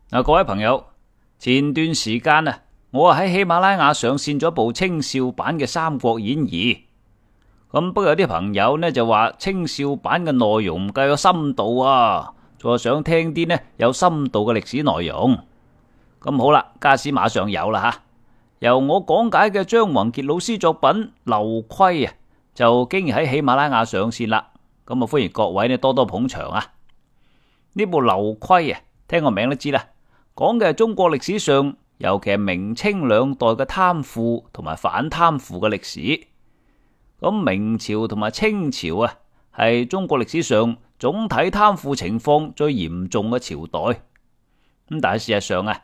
各位朋友，前段時間我喺喜馬拉雅上線咗部清少版嘅《三國演義》。不過有啲朋友就話清少版嘅內容唔夠有深度啊，仲想聽啲有深度嘅歷史內容。好啦，家陣馬上有啦吓，由我講解嘅張宏傑老師作品《劉窺》就經已喺喜馬拉雅上線啦。歡迎各位多多捧場啊！呢部《劉窺》聽個名都知啦，講嘅係中國歷史上，尤其係明清兩代嘅貪腐同埋反貪腐嘅歷史。明朝同埋清朝係中國歷史上總體貪腐情況最嚴重嘅朝代。但係事實上呢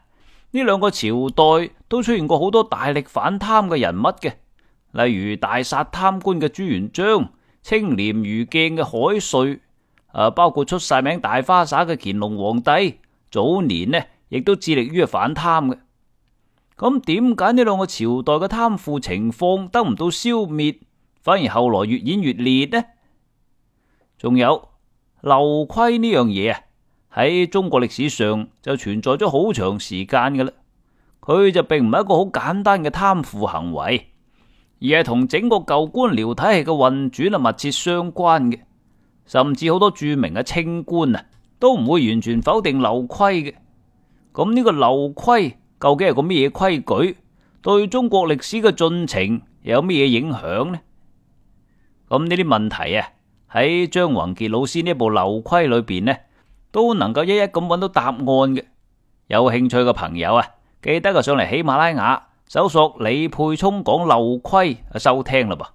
兩個朝代都出現過好多大力反貪嘅人物嘅，例如大殺貪官嘅朱元璋、清廉如鏡嘅海瑞，包括出晒名大花灑嘅乾隆皇帝，早年亦都致力於反貪嘅。點解呢兩個朝代嘅貪腐情況得唔到消滅，反而後來越演越烈呢？仲有劉窺呢樣嘢喺中國歷史上就存在咗好長時間㗎啦。佢就並唔係一個好簡單嘅貪腐行為，而係同整個舊官僚體系嘅運轉密切相關嘅。甚至好多著名嘅清官都唔會完全否定劉窺嘅。呢個劉窺究竟係個咩規矩？對中國歷史嘅進程又有咩影響呢？呢啲問題喺張宏傑老師呢部《劉窺》裏邊都能夠一一咁揾到答案嘅。有興趣嘅朋友記得上嚟喜馬拉雅搜索李沛聰講劉窺收聽啦噃。